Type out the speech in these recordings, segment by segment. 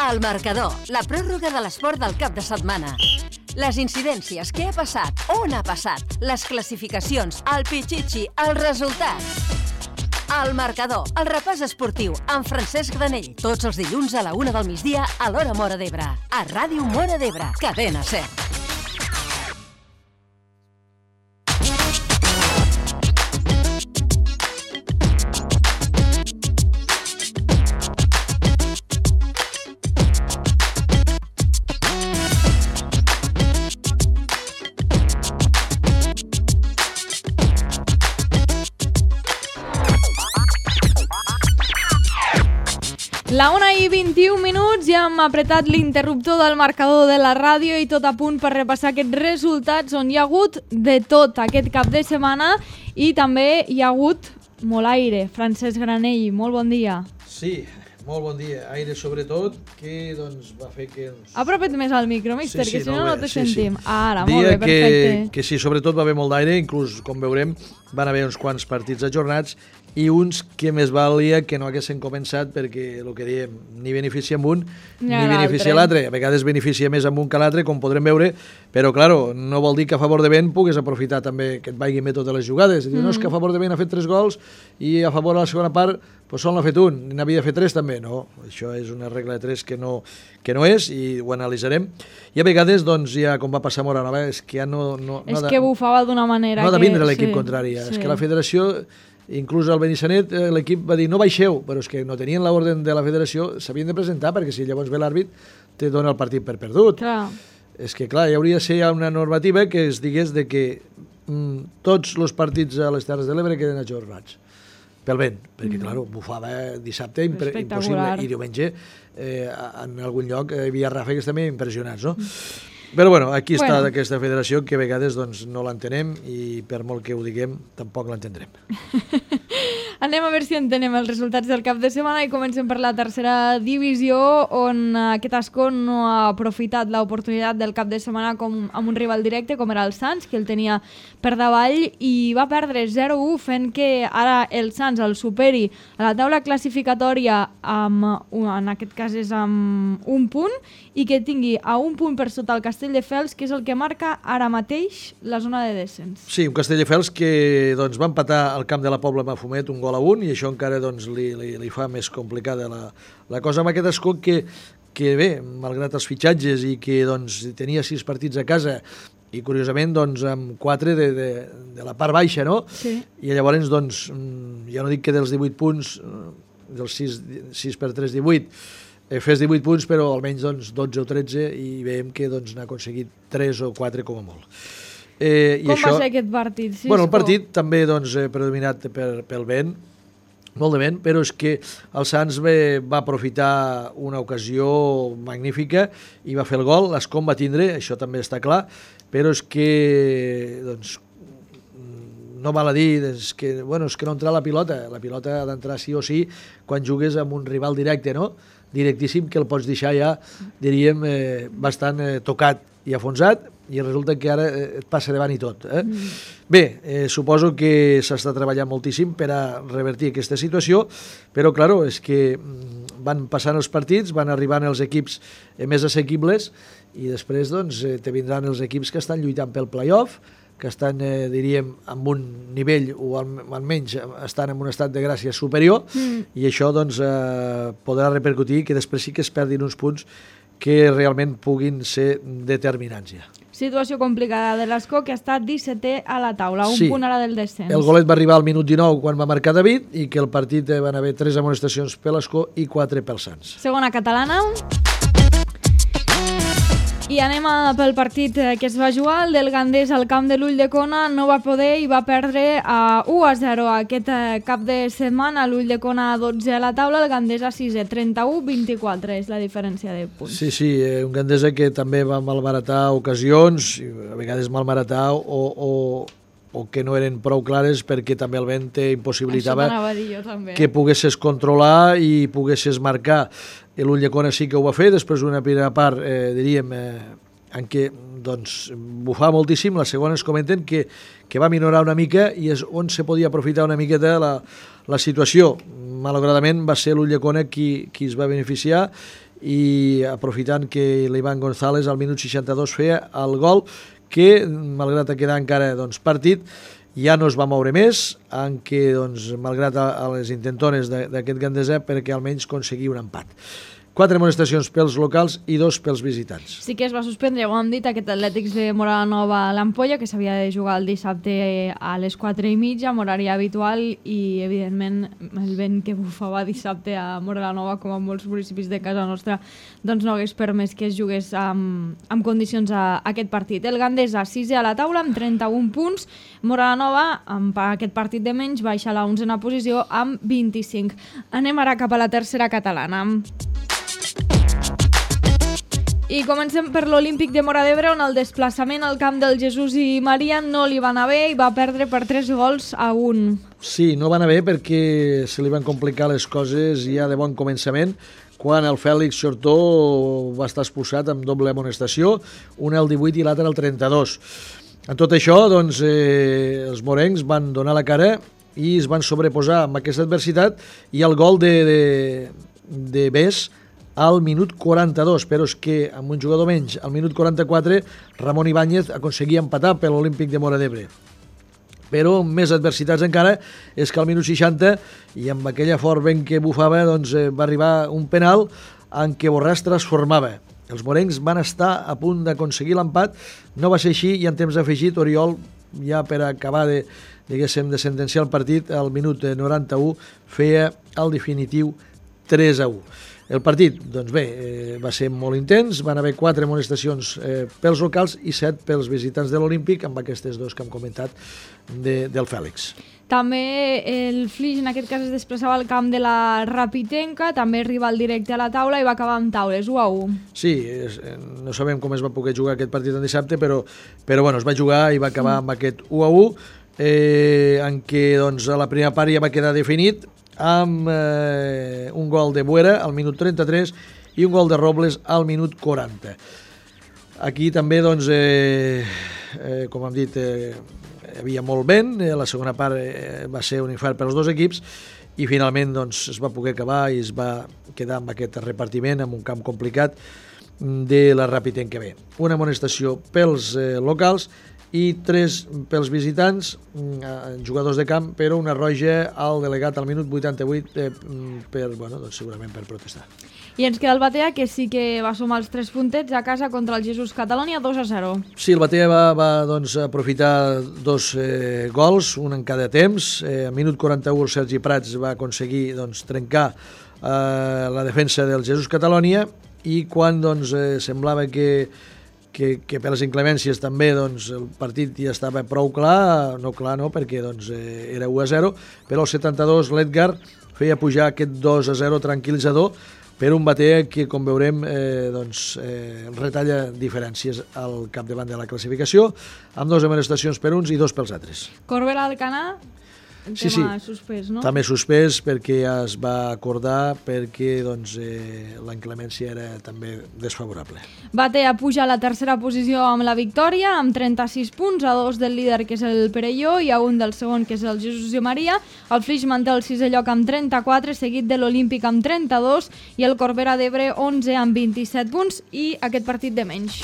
El marcador, la pròrroga de l'esport del cap de setmana. Les incidències, què ha passat, on ha passat, les classificacions, el pitxitxi, els resultats. El marcador, el repàs esportiu, amb Francesc Granell. Tots els dilluns a la 1 del migdia a l'hora Móra d'Ebre. A Ràdio Móra d'Ebre, Cadena 100. La 1:21, ja hem apretat l'interruptor del marcador de la ràdio i tot a punt per repassar aquests resultats on hi ha hagut de tot aquest cap de setmana i també hi ha hagut molt aire. Francesc Granell, molt bon dia. Sí, molt bon dia. Aire sobretot, que doncs va fer que... Apropa't més al micro, mister, Sí, que si no te sí, sentim. sí. Ara, molt bé, perfecte. Que sí, sobretot va haver molt d'aire, inclús, com veurem, van haver uns quants partits ajornats i uns que més valia que no haguessin començat perquè, el que diem, ni beneficia amb un ni beneficia l'altre. A vegades beneficia més amb un que l'altre, com podrem veure, però, claro, no vol dir que a favor de vent puguis aprofitar també que et vagin bé totes les jugades. No és que a favor de vent ha fet 3 gols i a favor a la segona part pues sol n'ha fet un, n'havia de fer 3 també. No, això és una regla de 3 que no és i ho analitzarem. I a vegades, doncs, ja com va passar a Móra Nova, és que ja no és que bufava d'una manera no ha de vindre l'equip sí, contrari. Sí. És que la federació... Inclús al Benissanet l'equip va dir no baixeu, però és que no tenien l'ordre de la federació, s'havien de presentar perquè si llavors ve l'àrbit te dona el partit per perdut. Clar. És que clar, hi hauria de ser una normativa que es digués de que tots els partits a les Terres de l'Ebre queden ajornats pel vent, perquè clar, bufava dissabte impossible i diumenge en algun lloc hi havia ràfegues també impressionants, no? Però bueno, aquí està aquesta federació que a vegades doncs, no l'entenem i per molt que ho diguem tampoc l'entendrem. Anem a veure si entenem els resultats del cap de setmana i comencem per la tercera divisió on aquest Ascó no ha aprofitat l'oportunitat del cap de setmana amb un rival directe com era el Sants, que el tenia per davall i va perdre 0-1 fent que ara el Sants el superi a la taula classificatòria en aquest cas és amb un punt i que tingui a un punt per sota el Castelldefels, que és el que marca ara mateix la zona de descens. Sí, un Castelldefels que doncs, va empatar al camp de la Pobla amb Fumet un 1-1 i això encara doncs, li fa més complicada la cosa amb aquest Ascó que bé, malgrat els fitxatges i que doncs, tenia 6 partits a casa i curiosament doncs, amb 4 de la part baixa, no? Sí. I llavors doncs, ja no dic que dels 18 punts, dels 6 per 3, 18, fes 18 punts, però almenys doncs, 12 o 13 i veiem que doncs, n'ha aconseguit 3 o 4 com a molt. Com va ser aquest partit? Sí, bueno, el partit també doncs, predominat pel vent, molt de vent, però és que el Sants va aprofitar una ocasió magnífica i va fer el gol, l'Ascó va tindre, això també està clar, però és que doncs, no val a dir és que no entra la pilota ha d'entrar sí o sí quan jugues amb un rival directe, no? Directíssim, que el pots deixar ja, diríem, bastant tocat i afonsat, i resulta que ara et passa davant i tot. Bé, suposo que s'està treballant moltíssim per a revertir aquesta situació, però, clar, és que van passant els partits, van arribant els equips més assequibles, i després, doncs, te vindran els equips que estan lluitant pel play-off, que estan, diríem, amb un nivell o almenys estan en un estat de gràcia superior i això doncs, podrà repercutir que després sí que es perdin uns punts que realment puguin ser determinants ja. Situació complicada de l'Ascó, que ha estat 17è a la taula, un punt ara del descens. El golet va arribar al minut 19 quan va marcar David i que el partit van haver 3 amonestacions per l'Ascó i 4 pel Sants. Segona catalana. I anem pel partit que es va jugar, el del Gandés al camp de l'Ulldecona, no va poder i va perdre 1-0 aquest cap de setmana, l'Ulldecona 12 a la taula, el Gandés a 6è, 31-24 és la diferència de punts. Sí, un Gandesa que també va malbaratar ocasions, a vegades malbaratar o que no eren prou clares perquè també el vent impossibilitava que poguessis controlar i poguessis marcar. L'Ulldecona sí que ho va fer, després d'una primera part, diríem, en què doncs, bufava moltíssim, la segona ens comenten que va minorar una mica i és on se podia aprofitar una miqueta la situació. Malauradament va ser l'Ulldecona qui es va beneficiar i aprofitant que l'Ivan González al minut 62 feia el gol que, malgrat quedar encara partit, ja no es va moure més, en què, malgrat a les intentones d'aquest Gandesa, perquè almenys aconseguir un empat. 4 amonestacions pels locals i 2 pels visitants. Sí que es va suspendre, ja ho hem dit, aquest Atlètics de Mora la Nova a l'Ampolla, que s'havia de jugar el dissabte a les 4:30, amb horari habitual, i evidentment el vent que bufava dissabte a Mora la Nova, com a molts municipis de casa nostra, doncs no hagués permès que es jugués amb condicions a aquest partit. El Gandesa, 6è a la taula, amb 31 punts. Mora la Nova, amb aquest partit de menys, baixa a la 11a posició amb 25. Anem ara cap a la tercera catalana. I comencem per l'Olímpic de Móra d'Ebre, on el desplaçament al camp del Jesús i Maria no li va anar bé i va perdre per 3-1. Sí, no va anar bé perquè se li van complicar les coses ja de bon començament, quan el Fèlix Xortó va estar expulsat amb doble amonestació, una al 18 i l'altra al 32. En tot això, els morencs van donar la cara i es van sobreposar amb aquesta adversitat, i el gol de Bes al minut 42, però és que amb un jugador menys, al minut 44, Ramon Ibáñez aconseguia empatar per l'Olímpic de Móra d'Ebre. Però amb més adversitats encara és que al minut 60, i amb aquella fort vent que bufava, va arribar un penal en què Borràs transformava. Els morencs van estar a punt d'aconseguir l'empat, no va ser així, i en temps afegit Oriol, ja per acabar de sentenciar el partit, al minut 91 feia el definitiu 3-1. El partit, va ser molt intens, van haver 4 amonestacions pels locals i 7 pels visitants de l'Olímpic, amb aquestes 2 que hem comentat del Fèlix. També el Flix, en aquest cas, es desplaçava al camp de la Rapitenca, també rival directe a la taula, i va acabar amb taules, 1-1. Sí, no sabem com es va poder jugar aquest partit en dissabte, però es va jugar i va acabar amb aquest 1-1, en què a la primera part ja va quedar definit, amb un gol de Buera al minut 33 i un gol de Robles al minut 40. Aquí també, com hem dit, hi havia molt vent, la segona part va ser un infart per als 2 equips, i finalment es va poder acabar i es va quedar amb aquest repartiment, amb un camp complicat de la Rapitenca B. Una amonestació pels locals i 3 pels visitants, jugadors de camp, però una roja al delegat al minut 88 segurament per protestar. I ens queda el Batea, que sí que va sumar els 3 puntets a casa contra el Jesús Catalonia, 2-0. Sí, el Batea va aprofitar 2 gols, un en cada temps. A minut 41 el Sergi Prats va aconseguir trencar la defensa del Jesús Catalonia, i quan semblava que per les inclemències també el partit ja estava prou clar, no perquè era 1-0, però al 72 l'Edgar feia pujar aquest 2-0 tranquil·litzador per un Batea que, com veurem, retalla diferències al capdavant de la classificació, amb 2 amonestacions per uns i 2 pels altres. Corbera Alcanar, tema suspès, no? També suspès, perquè ja es va acordar, perquè la inclemència era també desfavorable. Batea puja a la tercera posició amb la victòria, amb 36 punts, a 2 del líder, que és el Perelló, i a 1 del segon, que és el Jesús i Maria. El Flix manté el 6è lloc amb 34, seguit de l'Olímpic amb 32, i el Corbera d'Ebre 11 amb 27 punts, i aquest partit de menys.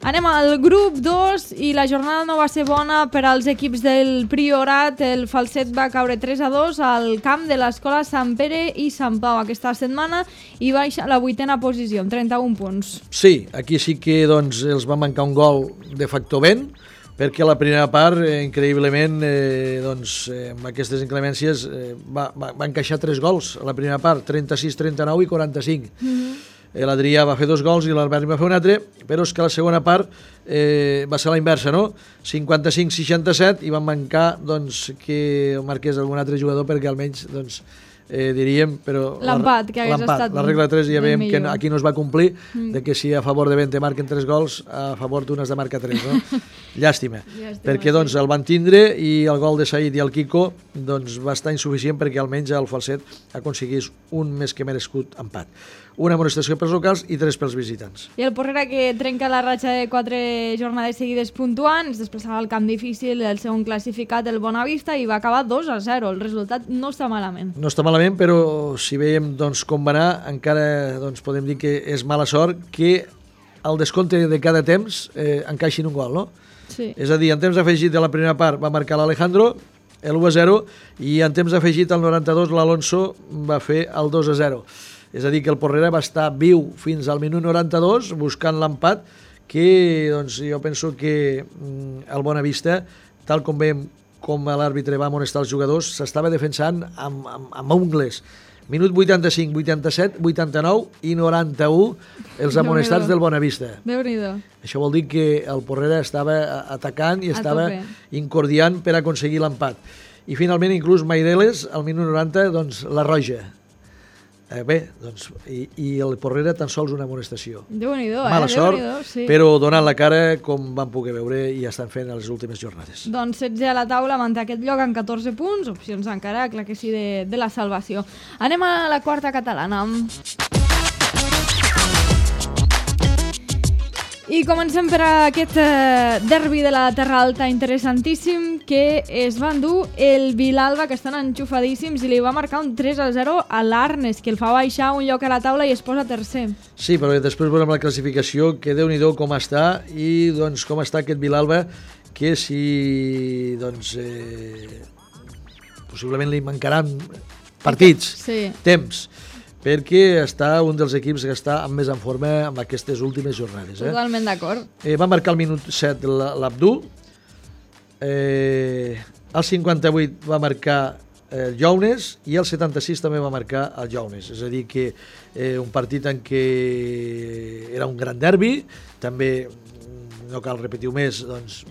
Anem al grup 2, i la jornada no va ser bona per als equips del Priorat. El Falset va caure 3-2 al camp de l'escola Sant Pere i Sant Pau aquesta setmana i baixa a la 8a posició, amb 31 punts. Sí, aquí sí que els va mancar un gol de factor vent, perquè a la primera part, increïblement, amb aquestes inclemències, va encaixar 3 gols a la primera part, 36, 39 i 45. L'Adrià va fer 2 gols i l'Albert va fer un altre, però és que la segona part va ser la inversa, no? 55-67, i van mancar que marqués algun altre jugador, perquè almenys diríem, però l'empat, que hagués estat la regla 3 ja veiem que aquí no es va complir, de que si a favor de 20 marquen 3 gols, a favor d'un has de marcar 3, no? llàstima. Perquè doncs, el van tindre i el gol de Said i el Kiko doncs, va estar insuficient perquè almenys el Falset aconseguís un més que merescut empat. Una amonestació pels locals i 3 pels visitants. I el Porrera, que trenca la ratxa de 4 jornades seguides puntuant, es desplaçava al camp difícil el segon classificat, el Bonavista, i va acabar 2-0. El resultat no està malament. No està malament, però si veiem doncs, com va anar, encara doncs, podem dir que és mala sort que al descompte de cada temps encaixin un gol, no? Sí. És a dir, en temps afegit de la primera part va marcar l'Alejandro, el 1-0, i en temps afegit al 92 l'Alonso va fer el 2-0. És a dir, que el Porrera va estar viu fins al minut 92 buscant l'empat, que doncs, jo penso que el Bonavista, tal com veiem com l'àrbitre va amonestar els jugadors, s'estava defensant amb ungles. Minut 85, 87, 89 i 91 els amonestats del Bonavista. Déu-n'hi-do. Això vol dir que el Porrera estava atacant i estava incordiant per aconseguir l'empat. I finalment, inclús Maireles, al minut 90, doncs, la roja. Bé, doncs, i el Porrera tan sols una amonestació. Déu-n'hi-do, Mala sort, sí. però donant la cara com van poder veure i estan fent a les últimes jornades. Doncs 16 a la taula, manté aquest lloc amb 14 punts, opcions encara, clar que sí, de la salvació. Anem a la quarta catalana. I comencem per aquest derbi de la Terra Alta interessantíssim que es va endur el Vilalba, que estan enxufadíssims, i li va marcar un 3-0 a l'Arnes, que el fa baixar un lloc a la taula i es posa tercer. Sí, però després veurem la classificació, que Déu-n'hi-do com està, i doncs com està aquest Vilalba, que si doncs possiblement li mancaran partits, temps, perquè està un dels equips que està més en forma amb aquestes últimes jornades. Totalment d'acord. Va marcar al minut 7 l'Abdul, al 58 va marcar el Jounes i al 76 també va marcar el Jounes. És a dir, que un partit en què era un gran derbi, també no cal repetir-ho més, doncs,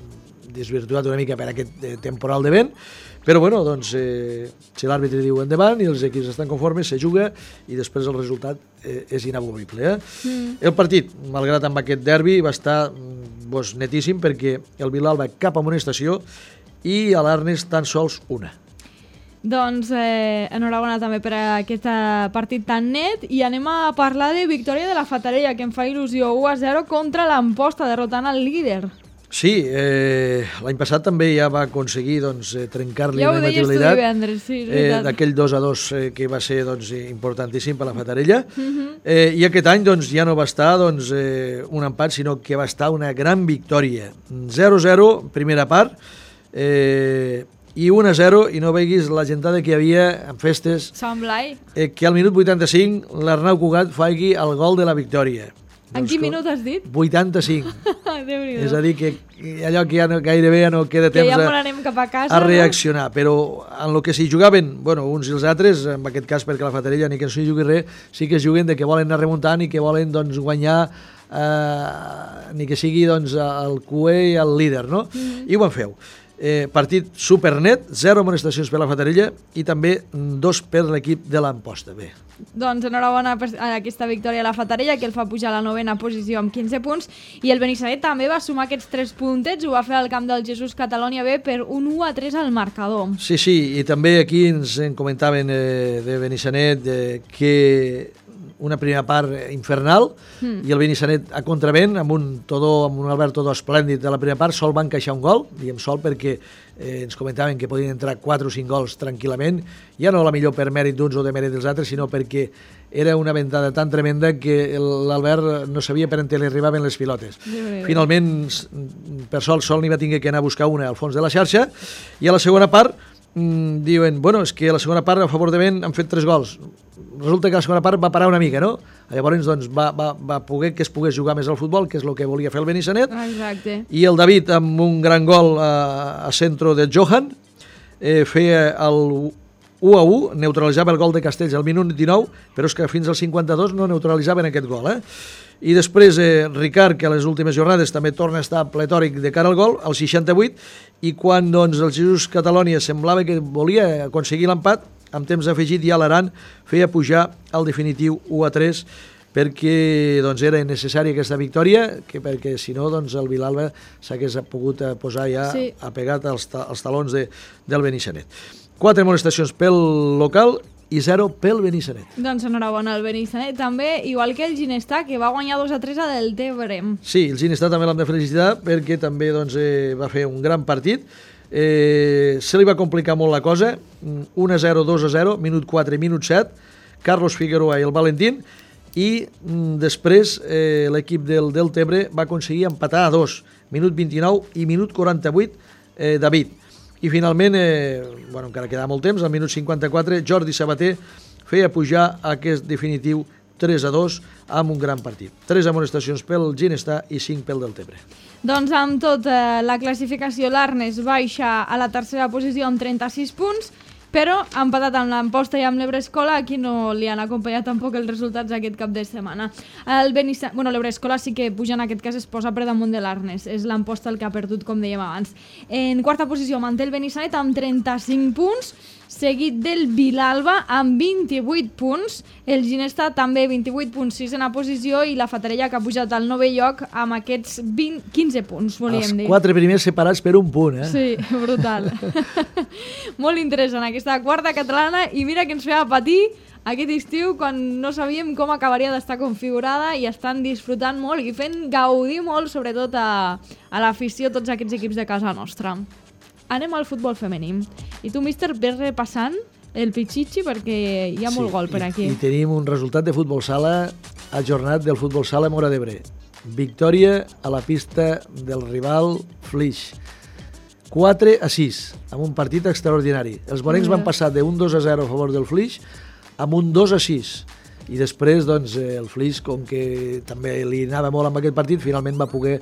desvirtuat una mica per aquest temporal de vent, però bueno, doncs, si l'àrbitre diu endavant i els equips estan conformes, se juga i després el resultat és inamovible. El partit, malgrat amb aquest derbi, va estar netíssim perquè el Vilalba cap amonestació i a l'Arnes tan sols una. Doncs enhorabona també per aquest partit tan net i anem a parlar de victòria de la Fatarella, que em fa il·lusió, 1-0 contra l'Amposta, derrotant el líder. Sí, l'any passat també ja va aconseguir trencar-li la imbatibilitat. Ja ho deies tu divendres, sí, és veritat. D'aquell 2-2 que va ser importantíssim per la Fatarella. I aquest any ja no va estar un empat, sinó que va estar una gran victòria. 0-0, primera part, i 1-0, i no veguis la gentada que hi havia en festes, que al minut 85 l'Arnau Cugat faci el gol de la victòria. En quin minut has dit? 85. És a dir, que allò que ja gairebé ja no queda temps a reaccionar. Però en el que s'hi jugaven, uns i els altres, en aquest cas perquè la Fatarella ni que no s'hi jugui res, sí que es juguen de que volen anar remuntant i que volen guanyar ni que sigui el QE i el líder, no? I ho van feu. Partit supernet, 0 amonestacions per la Fatarella i també 2 per l'equip de l'Amposta. Bé. Doncs enhorabona per aquesta victòria a la Fatarella, que el fa pujar a la 9ª posició amb 15 punts, i el Benissanet també va sumar aquests 3 puntets, ho va fer al camp del Jesús Catalonia B per un 1-3 al marcador. Sí, i també aquí ens en comentaven de Benissanet que una primera part infernal i el Benissanet a contravent amb un Albert Todó esplèndid de la primera part, sol va encaixar un gol, diem sol perquè ens comentaven que podien entrar 4 o 5 gols tranquil·lament, ja no la millor per mèrit d'uns o de mèrit dels altres, sinó perquè era una ventada tan tremenda que l'Albert no sabia per on li arribaven les pilotes. Finalment, per sol n'hi va tenir que anar a buscar una al fons de la xarxa, i a la segona part diuen, és que a la segona part a favor de vent han fet 3 gols. Resulta que la segona part va parar una mica, no? Llavors va poder que es pogués jugar més al futbol, que és el que volia fer el Benissanet. Exacte. I el David, amb un gran gol a centre de Johan, feia el 1-1, neutralitzava el gol de Castells al minut 19, però és que fins al 52 no neutralitzaven aquest gol. I després Ricard, que a les últimes jornades també torna a estar pletòric de cara al gol, al 68, i quan el Jesús Catalonia semblava que volia aconseguir l'empat, amb temps afegit ja l'Aran feia pujar el definitiu 1-3 perquè doncs, era necessària aquesta victòria, perquè si no doncs, el Vilalba s'hagués pogut posar ja apegat als talons del Benissanet. 4 amonestacions pel local i 0 pel Benissanet. Doncs enhorabona al Benissanet també, igual que el Ginestar, que va guanyar 2-3 a Deltebre. Sí, el Ginestar també l'hem de felicitar perquè també doncs, va fer un gran partit. Se li va complicar molt la cosa, 1-0, 2-0, minut 4 i minut 7, Carlos Figueroa i el Valentín, i després l'equip del Deltebre va aconseguir empatar a 2, minut 29 i minut 48, David. I finalment, encara quedava molt temps, al minut 54, Jordi Sabater feia pujar aquest definitiu 3-2 amb un gran partit. 3 amonestacions pel Ginestar i 5 pel Deltebre. Doncs amb tot la classificació, l'Arnes baixa a la tercera posició amb 36 punts, però ha empatat amb l'Amposta i amb l'Ebrescola, aquí no li han acompanyat tampoc els resultats aquest cap de setmana. L'Ebrescola sí que puja, en aquest cas es posa per damunt de l'Arnes, és l'Amposta el que ha perdut, com dèiem abans. En quarta posició manté el Benissanet amb 35 punts, seguit del Vilalba amb 28 punts, el Ginestar també 28 punts, 6ena posició, i la Fatarella que ha pujat al 9è lloc amb aquests 15 punts, volíem dir. Els 4 primers separats per un punt, Sí, brutal. Molt interessant aquesta quarta catalana, i mira que ens feia patir aquest estiu quan no sabíem com acabaria d'estar configurada, i estan disfrutant molt i fent gaudir molt, sobretot a l'afició, tots aquests equips de casa nostra. Anem al futbol femení. I tu, míster, ves repassant el Pichichi perquè hi ha molt gol per aquí. I tenim un resultat de futbol sala ajornat del futbol sala Móra d'Ebre. Victòria a la pista del rival Flix. 4-6, amb un partit extraordinari. Els morencs van passar de un 2-0 a favor del Flix amb un 2-6. I després doncs, el Flix, com que també li anava molt amb aquest partit, finalment va poder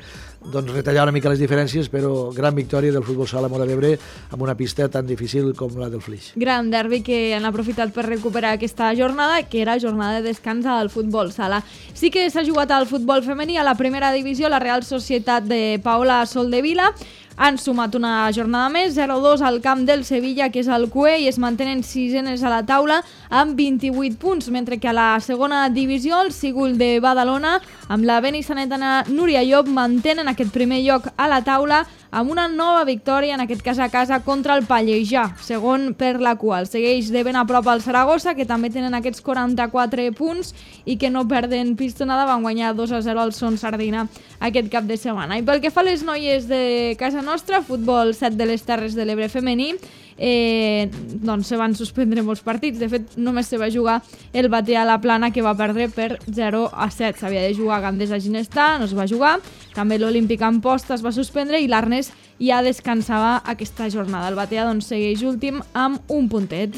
retallar una mica les diferències, però gran victòria del futbol sala Móra d'Ebre amb una pista tan difícil com la del Flix. Gran derbi que han aprofitat per recuperar aquesta jornada, que era jornada de descans al futbol sala. Sí que s'ha jugat al futbol femení a la primera divisió, la Real Societat de Paola Soldevila han sumat una jornada més, 0-2 al camp del Sevilla, que és el CUE, i es mantenen sisenes a la taula amb 28 punts, mentre que a la segona divisió el Sigul de Badalona amb la benissanetana Núria Llop mantenen aquest primer lloc a la taula amb una nova victòria, en aquest cas a casa, contra el Pallejà, segon per la qual segueix de ben a prop el Saragossa, que també tenen aquests 44 punts i que no perden pistonada, van guanyar 2-0 al Son Sardina aquest cap de setmana. I pel que fa a les noies de casa nostra, futbol 7 de les Terres de l'Ebre femení, doncs se van suspendre molts partits. De fet, només se va jugar el Batea a la Plana, que va perdre per 0-7. S'havia de jugar Gandesa Ginestar, no es va jugar. També l'Olímpic Amposta es va suspendre i l'Arnes ja descansava aquesta jornada. El Batea doncs, segueix últim amb un puntet.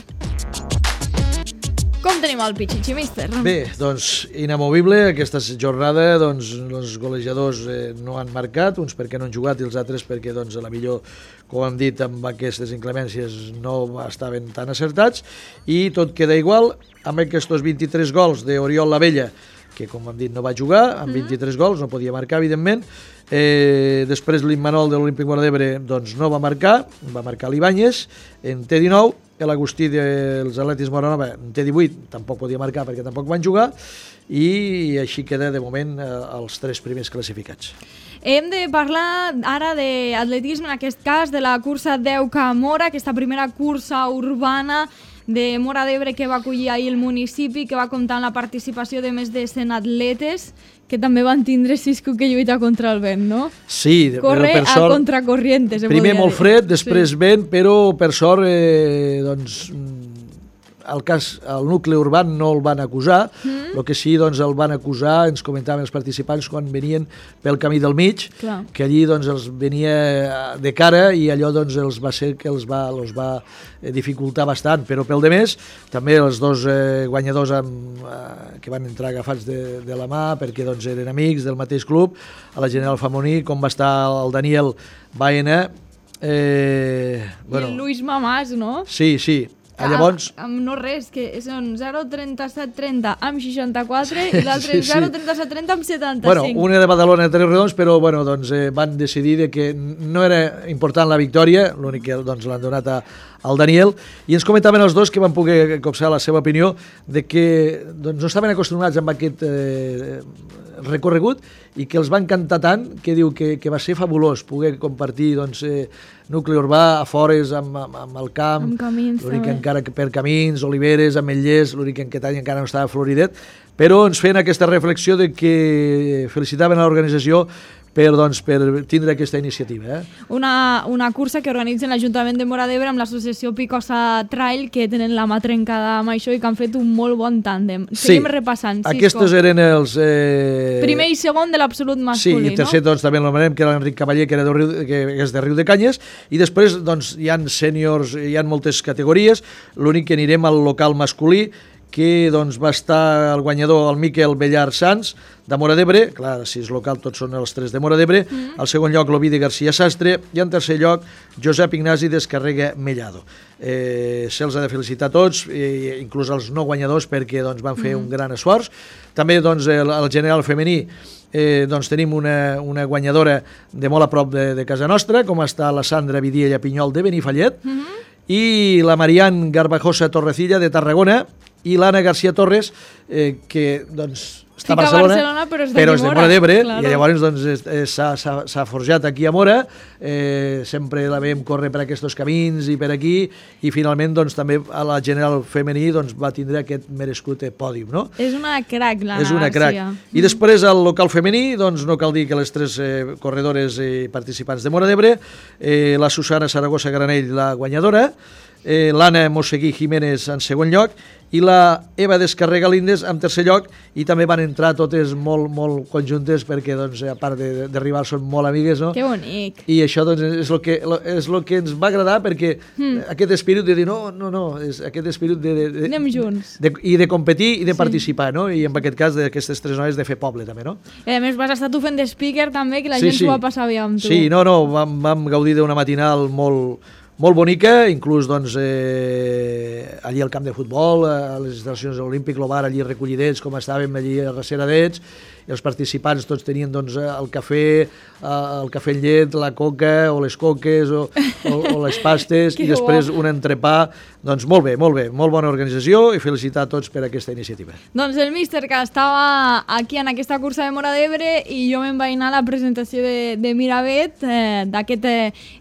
Com tenim el Pichichi, míster? Bé, doncs inamovible aquesta jornada, doncs els golejadors no han marcat, uns perquè no han jugat i els altres perquè doncs a la millor, com hem dit, amb aquestes inclemències no estaven tan acertats, i tot queda igual amb aquests 23 gols d'Oriol Lavella, que com hem dit no va jugar, amb 23 gols, no podia marcar evidentment. Després l'Immanol de l'Olímpic Móra d'Ebre doncs no va marcar l'Ibáñez, en T19, l'Agustí dels Atletis Moranova en T18 tampoc podia marcar perquè tampoc van jugar, i així queda de moment els 3 primers classificats. Hem de parlar ara d'atletisme, en aquest cas de la cursa 10K Mora, aquesta primera cursa urbana de Móra d'Ebre que va acollir ahir el municipi, que va comptar amb la participació de més de 100 atletes, que també van tindre Cisco que lluita contra el vent, no? Sí, corre per sort, a contracorriente, se primer molt fred, després sí. Vent, però per sort doncs el nucli urbà no el van acusar, el que sí doncs, el van acusar, ens comentaven els participants quan venien pel camí del mig, clar, que allí doncs, els venia de cara i allò doncs, els va ser que els va dificultar bastant, però pel de més també els dos guanyadors que van entrar agafats de la mà perquè doncs, eren amics del mateix club, a la General Famoní, com va estar el Daniel Baena, i el Luis Mamàs, no? Sí, Llavors... No res, que són 0,3730 amb 64 i l'altre 0,3730 amb 75. Bueno, una de Badalona de Tres Redons, però bueno, doncs, van decidir que no era important la victòria, l'únic que doncs, l'han donat al Daniel, i ens comentaven els dos que van poder copsar la seva opinió de que doncs, no estaven acostumats amb aquest recorregut i que els va encantar tant que diu que va ser fabulós poder compartir doncs, nucli urbà a fores amb el camp, l'únic encara que per camins, oliveres, ametllers, l'únic que aquest any encara no estava floridet, però ens feien aquesta reflexió de que felicitaven a l'organització per tindre aquesta iniciativa. Una cursa que organitzen l'Ajuntament de Móra d'Ebre amb l'associació Picosa Trail, que tenen la mà trencada amb això i que han fet un molt bon tàndem. Seguim repassant. Aquests eren els... Primer i segon de l'absolut masculí, no? Sí, i tercer doncs, també l'anomenem, que era l'Enric Cavaller, que és de Riu de Canyes, i després doncs, hi ha sèniors, hi ha moltes categories, l'únic que anirem al local masculí, que doncs, va estar el guanyador, el Miquel Bellar Sanz, de Móra d'Ebre, clar, si és local tots són els tres de Móra d'Ebre, al segon lloc l'Ovidi García Sastre i en tercer lloc Josep Ignasi d'Escarrega Mellado. Se'ls ha de felicitar a tots, inclús els no guanyadors, perquè doncs, van fer un gran esforç. També doncs, el general femení doncs, tenim una guanyadora de molt a prop de casa nostra, com està la Sandra Vidiella Pinyol de Benifallet, i la Marian Garbajosa Torrecilla de Tarragona, i l'Anna García Torres, que doncs, està a Barcelona, però és de Móra d'Ebre, i llavors doncs, s'ha forjat aquí a Móra, sempre la veiem córrer per aquests camins i per aquí, i finalment doncs, també a la general femení doncs, va tindre aquest merescut pòdium. No? És una crac, l'Anna García. És una crac. I després al local femení, doncs, no cal dir que les tres corredores i participants de Móra d'Ebre, la Susana Saragossa Granell, la guanyadora, l'Anna Mosseguí Jiménez en segon lloc i la Eva Descarrega Lindes en tercer lloc, i també van entrar totes molt, molt conjuntes perquè doncs, a part de rival són molt amigues, no? Que bonic. I això doncs, és el que ens va agradar, perquè aquest espírit de dir no, és aquest espírit anem junts. I de competir i de participar, no? I en aquest cas d'aquestes tres noies de fer poble també, no? A més vas estar tu fent de speaker també, que la gent s'ho va passar bé amb tu. Sí, vam gaudir d'una matinal molt bonica, inclús doncs, allí al camp de futbol, a les instal·lacions de l'Olímpic, l'Obar, allí recollidets, com estàvem allí a darrere d'ells, i els participants tots tenien doncs, el cafè amb llet, la coca o les coques o les pastes i després un entrepà. Doncs molt bé, molt bona organització i felicitar a tots per aquesta iniciativa. Doncs el míster que estava aquí en aquesta cursa de Móra d'Ebre i jo me'n vaig anar a la presentació de Miravet, d'aquest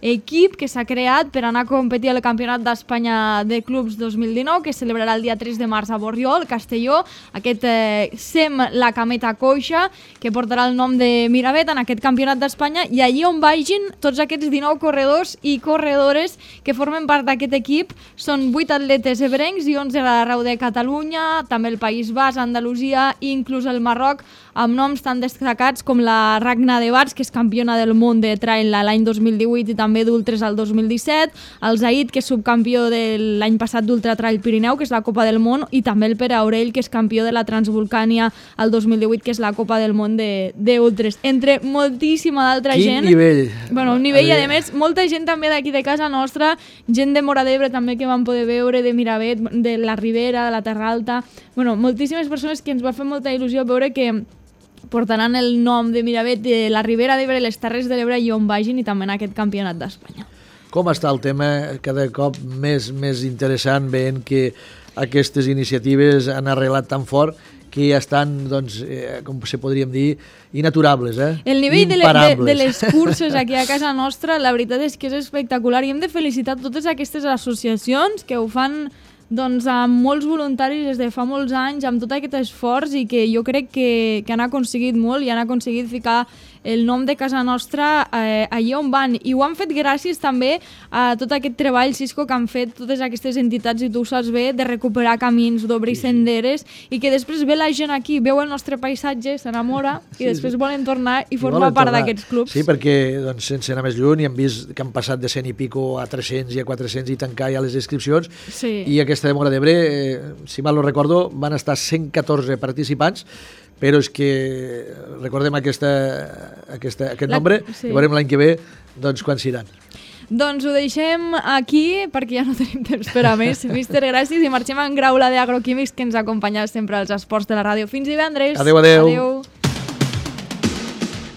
equip que s'ha creat per anar a competir al Campionat d'Espanya de Clubs 2019, que es celebrarà el dia 3 de març a Borriol, Castelló, aquest SEM La Cameta Coixa, que portarà el nom de Miravet en aquest Campionat d'Espanya, i allí on vagin tots aquests 19 corredors i corredores que formen part d'aquest equip. Són 8 atletes ebrencs i 11 d'arreu de Catalunya, també el País Basc, Andalusia i inclús el Marroc, amb noms tan destacats com la Ragna de Bars, que és campiona del món de trail l'any 2018 i també d'ultres al 2017, el Zaid, que és subcampió de l'any passat d'Ultra Trail Pirineu, que és la Copa del Món, i també el Pere Aurell, que és campió de la Transvolcània al 2018, que és la Copa del Món d'ultres, entre moltíssima d'altra gent. Quin nivell! Bueno, un nivell, i a més, molta gent també d'aquí de casa nostra, gent de Móra d'Ebre també que van poder veure, de Miravet, de la Ribera, de la Terra Alta, bueno, moltíssimes persones que ens va fer molta il·lusió veure que portaran el nom de Miravet, de la Ribera d'Ebre, les Terres de l'Ebre i on vagin, i també en aquest Campionat d'Espanya. Com està el tema cada cop més interessant, veient que aquestes iniciatives han arrelat tan fort que ja estan, doncs, com se podríem dir, inaturables, El nivell de les curses aquí a casa nostra, la veritat és que és espectacular, i hem de felicitar totes aquestes associacions que ho fan doncs, amb molts voluntaris des de fa molts anys, amb tot aquest esforç, i que jo crec que han aconseguit molt i han aconseguit ficar el nom de casa nostra allà on van, i ho han fet gràcies també a tot aquest treball, Cisco, que han fet totes aquestes entitats, i tu ho saps bé, de recuperar camins, d'obrir senderes, i que després ve la gent aquí, veu el nostre paisatge, s'enamora, i després volen tornar i formar part d'aquests clubs. Sí, perquè doncs, sense anar més lluny hem vist que han passat de 100 i pico a 300 i a 400 i tancar ja les inscripcions, i aquesta de Móra d'Ebre, si mal no recordo, van estar 114 participants, però és que recordem aquest nombre, i veurem l'any que ve doncs, quan seran. Doncs ho deixem aquí perquè ja no tenim temps per a més. Míster, gràcies i marxem en Graula d'Agroquímics que ens acompanya sempre als esports de la ràdio. Fins divendres. Adéu. Adéu.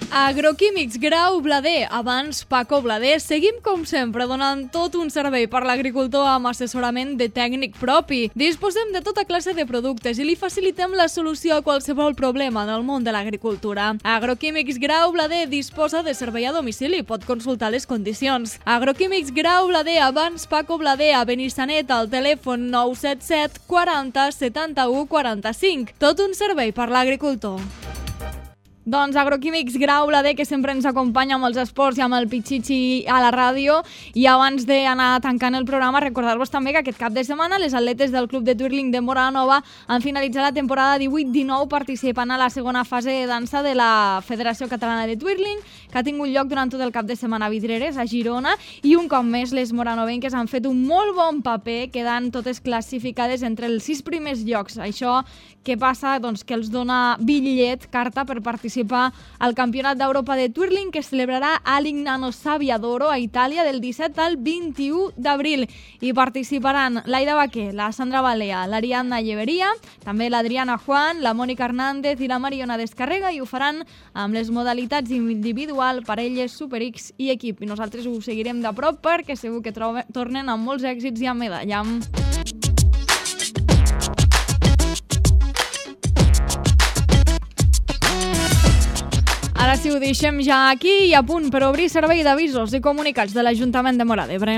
Agroquímics Grau Blader, abans Paco Blader. Seguim com sempre donant tot un servei per l'agricultor amb assessorament de tècnic propi. Disposem de tota classe de productes i li facilitem la solució a qualsevol problema en el món de l'agricultura. Agroquímics Grau Blader disposa de servei a domicili, pot consultar les condicions. Agroquímics Grau Blader, abans Paco Blader, a Benissanet, al telèfon 977 40 71 45. Tot un servei per l'agricultor. Doncs Agroquímics Grau Blader, que sempre ens acompanya amb els esports i amb el Pichichi a la ràdio. I abans d'anar tancant el programa, recordar-vos també que aquest cap de setmana les atletes del Club de Twirling de Móra-la-Nova han finalitzat la temporada 18-19 participant a la segona fase de dansa de la Federació Catalana de Twirling, que ha tingut lloc durant tot el cap de setmana a Vidreres, a Girona, i un cop més les moranovenques han fet un molt bon paper, quedant totes classificades entre els 6 primers llocs. Això què passa? Doncs que els dona bitllet, carta, per participar al Campionat d'Europa de Twirling que es celebrarà a Lignano Sabbiadoro, a Itàlia, del 17 al 21 d'abril. Hi participaran l'Aida Baquer, la Sandra Balea, l'Ariadna Lleveria, també l'Adriana Juan, la Mònica Hernández i la Mariona Descarrega, i ho faran amb les modalitats individual, parelles, Super X i equip. I nosaltres ho seguirem de prop perquè segur que tornen amb molts èxits i amb medalla. Ara sí, ho deixem ja aquí i a punt per obrir servei d'avisos i comunicats de l'Ajuntament de Móra d'Ebre.